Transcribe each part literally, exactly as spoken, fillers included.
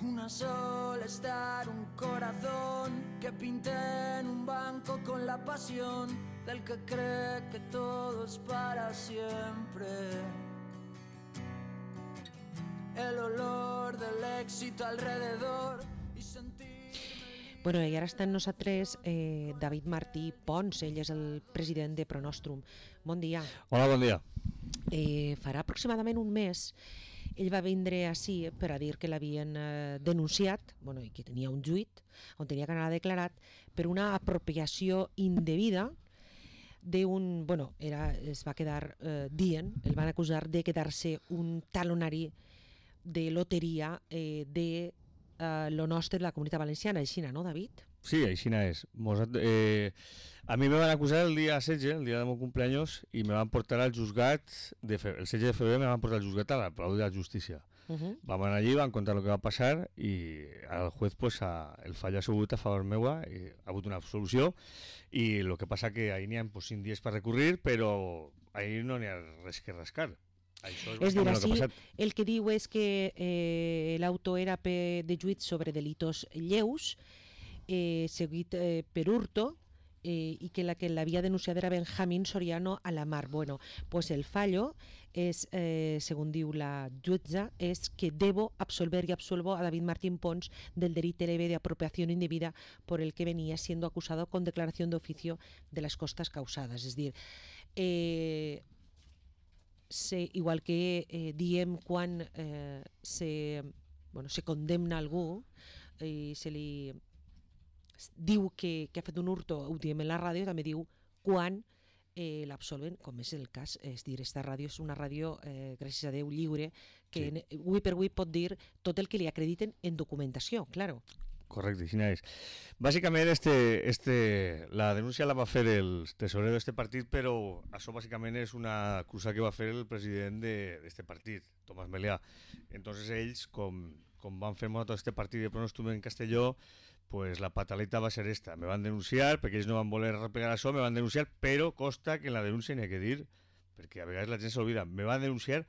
Una sola estar, un corazón que pinta en un banco con la pasión del que cree que todo es para siempre. El olor del éxito alrededor y sentir... Bueno, i ara està amb nosaltres eh, David Martí Pons, ell és el president de Pronostrum. Bon dia. Hola, bon dia. Eh, farà aproximadament un mes ell va vindre així per a dir que l'havien eh, denunciat, bueno, i que tenia un juit on tenia que anar declarat per una apropiació indevida d'un, bueno, era, es va quedar eh, dient, el van acusar de quedar-se un talonari de loteria eh, de eh, lo nostre de la Comunitat Valenciana, així, no, David? Sí, aixina és. Mos, eh, a mi me van acusar el dia setze, el dia del meu cumpleaños, i me van portar al juzgat, de fe, el setze de febrer me van portar al juzgat a la Palau de la Justícia. Uh -huh. Vam anar allí, van contar el que va passar i el juez, pues, a, el fall ha sigut a favor meua, i ha hagut una absolució, i el que passa que ahir n'hi ha pues, cinc dies per recurrir, però ahir no n'hi ha res que rascar. Això és, és dir, així, que el que diu és que eh, l'autor era de juit sobre delitos lleus, Eh, seguit eh, per hurto eh, i que la que l'havia denunciat era Benjamín Soriano a la Mar. Bueno, pues el fallo és, eh, según diu la jutja, és que debo absolver y absolvo a David Martín Pons del delito leve de apropiación indebida por el que venía siendo acusado con declaración de oficio de las costas causadas. És dir, eh, se, igual que eh, diem quan eh, se, bueno, se condemna algú i se li diu que, que ha fet un hurto, ho diem en la ràdio, també diu quan eh, l'absolven, com és el cas, és dir, esta ràdio és una ràdio, eh, gràcies a Déu, lliure, que sí. Avui per avui pot dir tot el que li acrediten en documentació, claro. Correcte, així és. Bàsicament, este, este, la denúncia la va fer el tesorero d'este partit, però això bàsicament és una acusa que va fer el president d'este partit, Tomàs Melià. Entonces ells, com, com van fer tot este partit de Pronostrum en Castelló, pues la pataleta va ser esta. Me van denunciar, perquè ells no van voler replegar això, me van denunciar, però costa que en la denúncia n'hi ha que dir, perquè a vegades la gent s'olvida, me van denunciar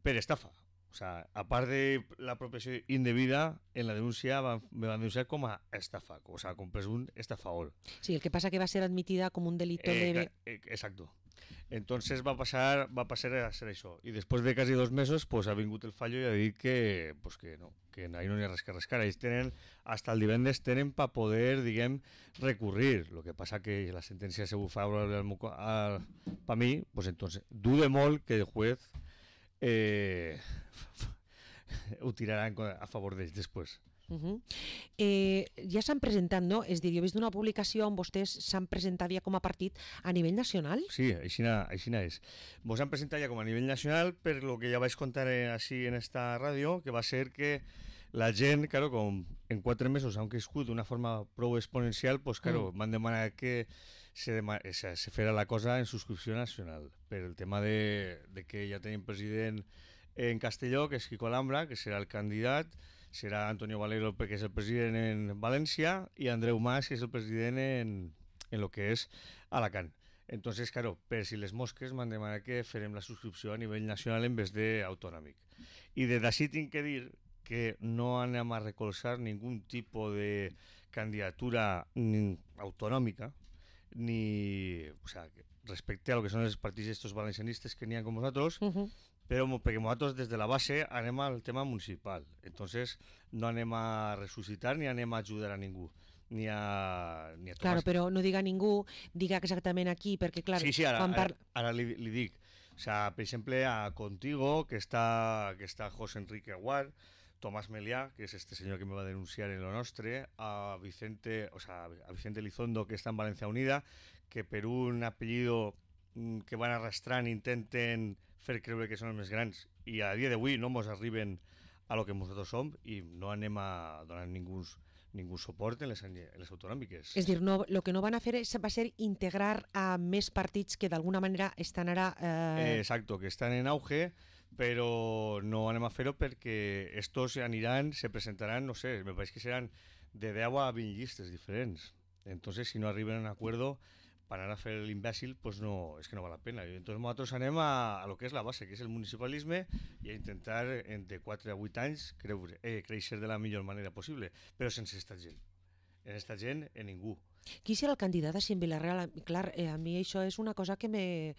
per estafa. O sea, a part de l'apropiació indebida, en la denúncia van, me van denunciar com a estafa, o sea, com presumpte estafador. Sí, el que pasa que va ser admitida com un delito eh, leve. Eh, exacto. Entonces va pasar, va pasar a ser això. I després de quasi dos mesos, pues, ha vingut el fallo i ha dit que, pues, que no, que ahí no hi ha res que rascar. Ells tenen, hasta el divendres tenen per poder, diguem, recurrir. Lo que passa que la sentència se bufa per mi, pues entonces, dude molt que el juez eh, ho tirarà a favor d'ells després. Uh -huh. eh, ja s'han presentat, no? És dir, jo he vist una publicació on vostès s'han presentat ja com a partit a nivell nacional. Sí, aixina, aixina és. Vos han presentat ja com a nivell nacional per lo que ja vaig contar així en esta ràdio, que va ser que la gent, claro, com en quatre mesos han crescut d'una forma prou exponencial, pues claro, mm. van demanar que se, dema se, se fera la cosa en subscripció nacional, per el tema de, de que ja tenim president en Castelló, que és Quico Alhambra, que serà el candidat, serà Antonio Valero, que és el president en València, i Andreu Mas, que és el president en, en lo que és Alacant. Entonces, claro, per si les mosques m'han demanat que farem la subscripció a nivell nacional en vez de autonòmic. I des d'ací tinc que dir que no anem a recolzar ningún tipo de candidatura ni autonòmica, ni, o sea, respecte a lo que són els partits estos valencianistes que n'hi ha com vosaltres, uh-huh. però perquè nosaltres des de la base anem al tema municipal. Entonces no anem a ressuscitar ni anem a ajudar a ningú. Ni a, ni a claro, però no diga ningú, diga exactament aquí, perquè clar... Sí, sí, ara, quan ara, ara li, li dic. O sea, per exemple, a Contigo, que està, que està José Enrique Aguar, Tomás Melià, que és este senyor que me va denunciar en lo nostre, a Vicente, o sea, a Vicente Elizondo, que està en Valencia Unida, que per un apellido que van arrastrant intenten fer creure que són els més grans i a dia d'avui no mos arriben a lo que nosaltres som i no anem a donar ningú, ningú suport en les, en les autonòmiques. És dir, no, lo que no van a fer és, va ser integrar a més partits que d'alguna manera estan ara... Eh... Exacto, que estan en auge, però no anem a fer-ho perquè estos aniran, se presentaran, no sé, me pareix que seran de deu a vint llistes diferents. Entonces, si no arriben a un acuerdo, per anar a fer l'imbècil, pues no, és que no val la pena. I entonces nosaltres anem a, a lo que és la base, que és el municipalisme, i a intentar, entre quatre a vuit anys, creure, eh, créixer de la millor manera possible, però sense esta gent. En esta gent, en ningú. Qui serà el candidat així en Vila-real? Clar, eh, a mi això és una cosa que me...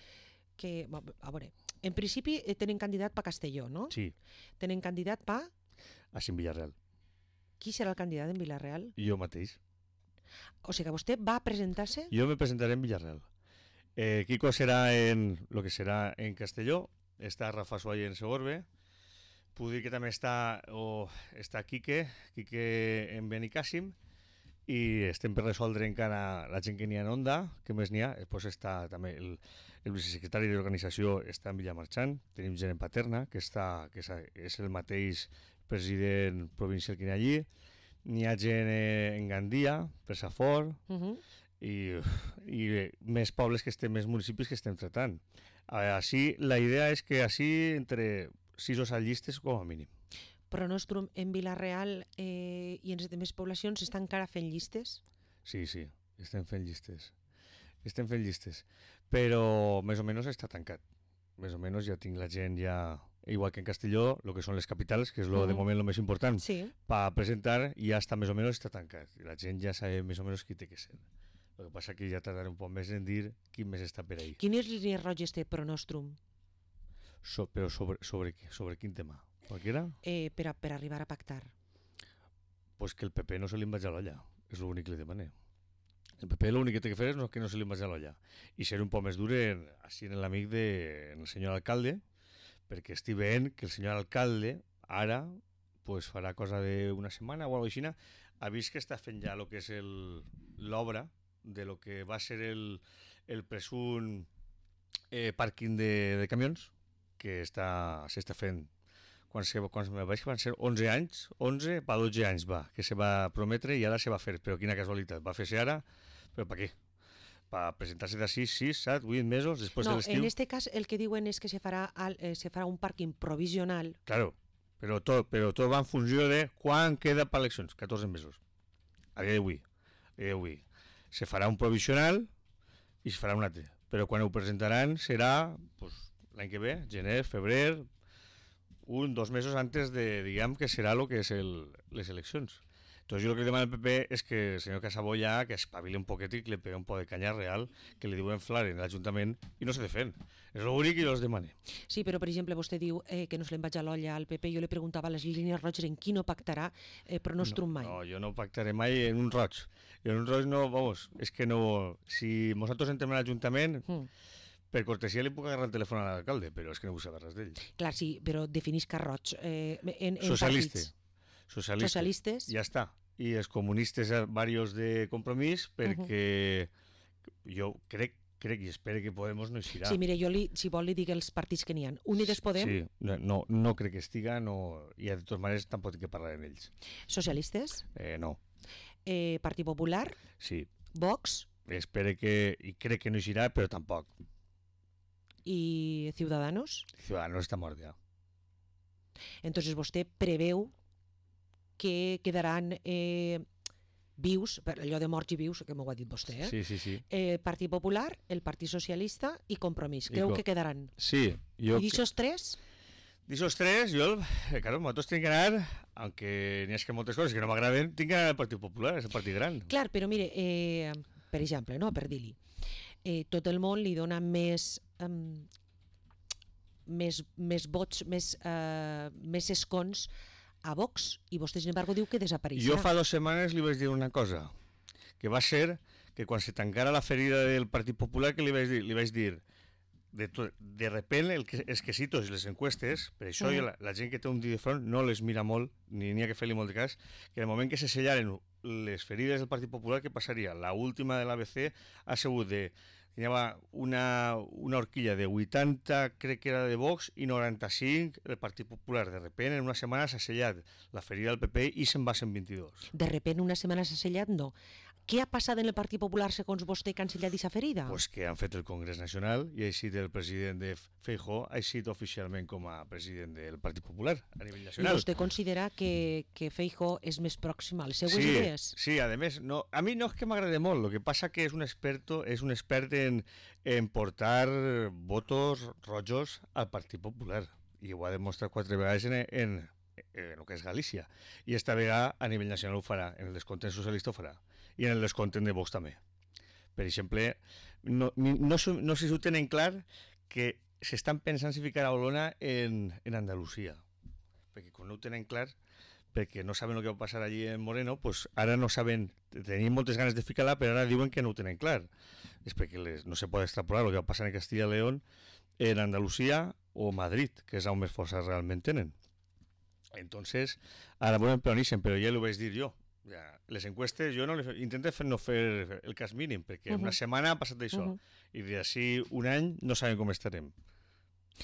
Que, a veure, en principi eh, tenen candidat per Castelló, no? Sí. Tenen candidat per... Així en Villarreal. Qui serà el candidat en Vila-real? Jo mateix. O sigui que vostè va presentar-se? Jo me presentaré en Villarreal. Eh, Kiko serà en lo que serà en Castelló, està Rafa Suárez en Segorbe, puc dir que també està, o, està Quique, Quique en Benicàssim, i estem per resoldre encara la gent que n'hi ha en Onda, que més n'hi ha, després està també el, el vicesecretari de l'organització està en Villamarchant, tenim gent en Paterna, que, està, que és, és el mateix president provincial que n'hi ha allí, n'hi ha gent en Gandia, per Safor, uh -huh. i, i més pobles que estem, més municipis que estem tratant. Així, la idea és que així entre sis o set llistes com a mínim. Però Nostrum en Vila-real eh, i en les altres poblacions estan encara fent llistes? Sí, sí, estem fent llistes. Estem fent llistes. Però més o menys està tancat. Més o menys ja tinc la gent ja... Igual que en Castelló, lo que són les capitals, que és lo, uh -huh. de moment el més important, sí. per presentar, ja està més o menys està tancat. I la gent ja sap més o menys qui té que ser. El que passa que ja tardaré un poc més en dir quin més està per ahí. Quines línies roges té Pro Nostrum? So, però sobre, sobre, sobre quin tema? Qualquiera? Eh, per, a, per arribar a pactar. Pues que el P P no se li vagi a l'olla. És l'únic que li demané. El P P l'únic que té que fer és que no se li vagi a l'olla. I ser un poc més dur en, així en l'amic del senyor alcalde, perquè estic veient que el senyor alcalde ara pues, farà cosa d'una setmana o alguna cosa així, ha vist que està fent ja el que és l'obra de lo que va ser el, el presunt eh, pàrquing de, de camions, que s'està fent quan, se, quan me vaig que van ser onze anys, onze per dotze anys va, que se va prometre i ara se va fer, però quina casualitat, va fer-se ara, però per què? Per presentar-se d'ací sis, set, vuit mesos després no, de l'estiu. No, en este cas el que diuen és que se farà, al, eh, se farà un pàrquing provisional. Claro, però tot, però tot va en funció de quan queda per eleccions, catorze mesos. A dia d'avui, a dia d'avui. Se farà un provisional i se farà un altre. Però quan ho presentaran serà pues, l'any que ve, gener, febrer, un, dos mesos antes de, diguem, que serà el que és el, les eleccions. Entonces yo lo que le demano al P P es que el señor Casabó ya que espabile un poquete y que le pegue un poco de caña real, que le diuen flar en l'Ajuntament i no se defen. És l'únic que jo els demane. Sí, però per exemple vostè diu eh, que no se li vaig a l'olla al P P. Jo li preguntava a les línies roges en qui no pactarà eh, Pro Nostrum mai. No, no, jo no pactaré mai en un roig. En un roig no, vamos, és que no... Si nosaltres entrem a l'Ajuntament... Mm. Per cortesia li puc agarrar el telèfon a l'alcalde, però és que no vull saber res d'ell. Clar, sí, però definisca roig. Eh, en, en Socialista. partits. Socialistes. Socialistes. Ja està. I els comunistes varios de Compromís, perquè uh-huh. jo crec, crec i espero que Podemos no eixirà. Sí, mire, jo li, si vol li dic els partits que n'hi ha. Unides Podem. Sí, no, no crec que estiga, no, i de totes maneres tampoc tinc que parlar amb ells. Socialistes? Eh, no. Eh, Partit Popular? Sí. Vox? Espero que, i crec que no eixirà, però tampoc. I Ciudadanos? Ciudadanos està mort ja. Entonces vostè preveu que quedaran eh, vius, per allò de morts i vius, que m'ho ha dit vostè, eh? Sí, sí, sí. Eh, Partit Popular, el Partit Socialista i Compromís. Creu I co- que quedaran? Sí. Jo... I d'aixòs tres? D'aixòs tres, jo, eh, claro, nosaltres tinc que anar, aunque n'hi ha que moltes coses que no m'agraden, tinc que anar al Partit Popular, és el partit gran. Clar, però mire, eh, per exemple, no, per dir-li, eh, tot el món li dona més... Um, més, més vots, més, uh, més escons a Vox, i vostè, sin embargo, diu que desapareixerà. Jo fa dues setmanes li vaig dir una cosa, que va ser que quan se tancara la ferida del Partit Popular, que li vaig dir, li vaig dir de, to, de repent el que, els quesitos i les encuestes, per això mm. la, la gent que té un dit de front no les mira molt, ni n'hi ha que fer-li molt de cas, que en el moment que se sellaren les ferides del Partit Popular, què passaria? La última de l'A B C ha sigut de... Hi havia una, una horquilla de vuitanta, crec que era de Vox, i noranta-cinc el Partit Popular. De repent, en una setmana s'ha sellat la ferida del P P i se'n va a cent vint-i-dos. De repent, una setmana s'ha sellat? No. Què ha passat en el Partit Popular, segons vostè, que han sellat aquesta ferida? Pues que han fet el Congrés Nacional i ha eixit el president de Feijóo, ha eixit oficialment com a president del Partit Popular a nivell I nacional. vostè considera que, que Feijóo és més pròxim a les seues Sí, idees? sí, a més, no, a mi no és que m'agrade molt, lo que passa que és un experto, és un expert en, en portar votos rojos al Partit Popular i ho ha demostrat quatre vegades en, en, en el que és Galícia i esta vegada a nivell nacional ho farà, en el descontent socialista ho farà i en el descontent de Vox també. Per exemple, no, no, no, no sé si ho tenen clar que s'estan pensant si ficar a Olona en, en Andalusia, perquè quan no ho tenen clar, perquè no saben el que va passar allí en Moreno, pues ara no saben, tenien moltes ganes de ficar-la, però ara diuen que no ho tenen clar. És perquè les, no se pot extrapolar el que va passar en Castilla y León, en Andalusia o Madrid, que és on més força realment tenen. Entonces, ara volen peronixen, però ja ho vaig dir jo. Ja, les encuestes, jo no les, intento fer, no fer el cas mínim, perquè uh-huh. una setmana ha passat això, uh-huh. i d'ací un any no sabem com estarem.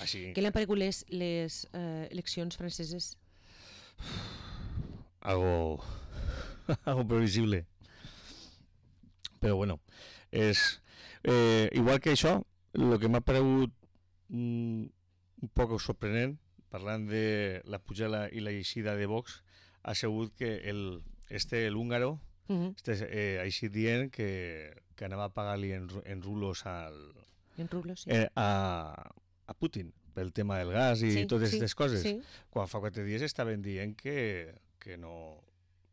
Així... Què li han paregut les, les eh, eleccions franceses? Algo, algo previsible. Però bueno, és... Eh, igual que això, el que m'ha paregut mm, un poc sorprenent, parlant de la pujada i la eixida de Vox, ha sigut que el, este, el húngaro, uh-huh. este, eh, ha eixit dient que, que anava a pagar-li en, en rulos, al, en rulos sí. eh, a, a Putin pel tema del gas i sí, totes sí, aquestes coses. Sí. Quan fa quatre dies estaven dient que, que no...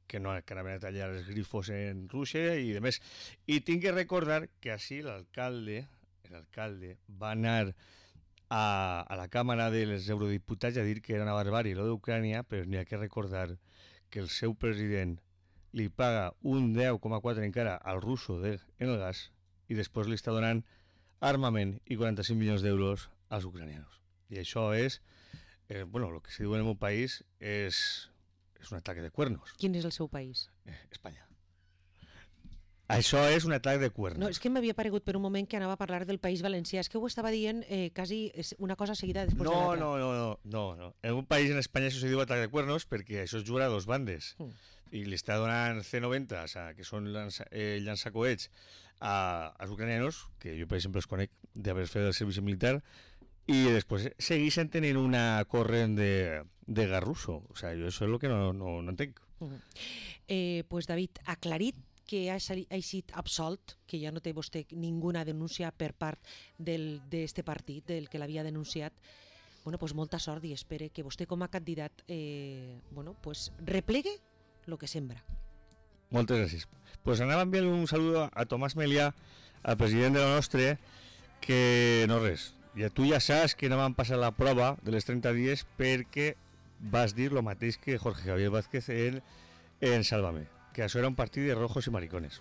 que no que anaven a tallar els grifos en Rússia i demés. I tinc que recordar que així l'alcalde l'alcalde va anar a, a la Càmera dels Eurodiputats a dir que era una barbàrie lo d'Ucrània, però n'hi ha que recordar que el seu president li paga un deu coma quatre encara al russo de, en el gas i després li està donant armament i quaranta-cinc milions d'euros als ucranianos. I això és, eh, bueno, el que se diu en el meu país és és un atac de cuernos. Quin és el seu país? Eh, Espanya. Això és un atac de cuernos. No, és que m'havia paregut per un moment que anava a parlar del País Valencià. És que ho estava dient eh, quasi una cosa seguida després no, de l'altra. No, no, no, no, no. En un país, en Espanya, això se diu atac de cuernos perquè això es juga a dos bandes. Mm. I li està donant ce noventa, o sea, que són llança, eh, llançacoets a, als ucranianos, que jo, per exemple, els conec d'haver fet el servici militar, i després segueixen tenint una corrent de, de gas russo. O sea, jo això és el que no, no, no entenc. Uh-huh. eh, pues David, aclarit que ha eixit absolt, que ja no té vostè ninguna denúncia per part d'este partit, del que l'havia denunciat, bueno, pues molta sort i espere que vostè com a candidat eh, bueno, pues replegue el que sembra. Moltes gràcies. Pues anava a enviar un saludo a Tomàs Melià, al president de la nostra, que no res, ja tu ja saps que no van passar la prova de les trenta dies perquè vas dir el mateix que Jorge Javier Vázquez en, en Sálvame, que això era un partit de rojos i maricones.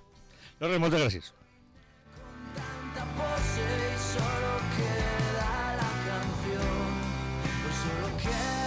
No res, moltes gràcies. Con tanta pose y solo queda la canción, pues solo queda